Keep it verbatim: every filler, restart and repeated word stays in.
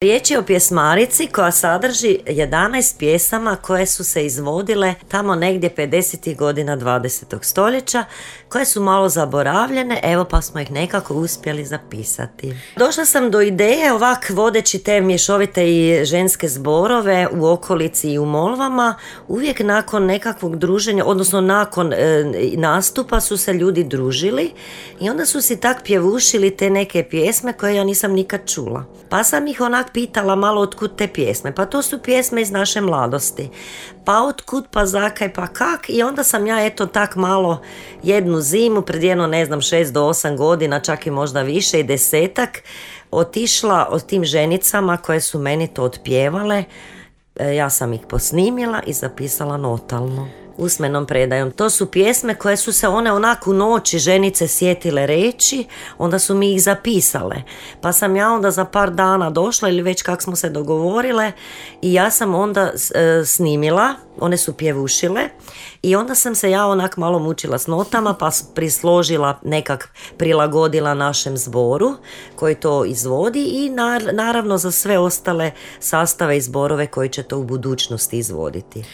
Riječ je o pjesmarici koja sadrži jedanaest pjesama koje su se izvodile tamo negdje pedesetih godina dvadesetog stoljeća, koje su malo zaboravljene, evo pa smo ih nekako uspjeli zapisati. Došla sam do ideje, ovak vodeći te mješovite i ženske zborove u okolici i u Molvama, uvijek nakon nekakvog druženja, odnosno nakon e, nastupa su se ljudi družili i onda su si tak pjevušili te neke pjesme koje ja nisam nikad čula. Pa sam ih onak pitala malo otkud te pjesme, pa to su pjesme iz naše mladosti, pa otkud, pa zakaj, pa kak, i onda sam ja eto tak malo jednu zimu, pred jedno ne znam šest do osam godina, čak i možda više i desetak, otišla od tim ženicama koje su meni to otpjevale, ja sam ih posnimila i zapisala notalno, usmenom predajom. To su pjesme koje su se one onako u noći ženice sjetile reći, onda su mi ih zapisale. Pa sam ja onda za par dana došla ili već kak smo se dogovorile i ja sam onda e, snimila, one su pjevušile i onda sam se ja onak malo mučila s notama pa prisložila, nekak prilagodila našem zboru koji to izvodi i nar- naravno za sve ostale sastave i zborove koji će to u budućnosti izvoditi.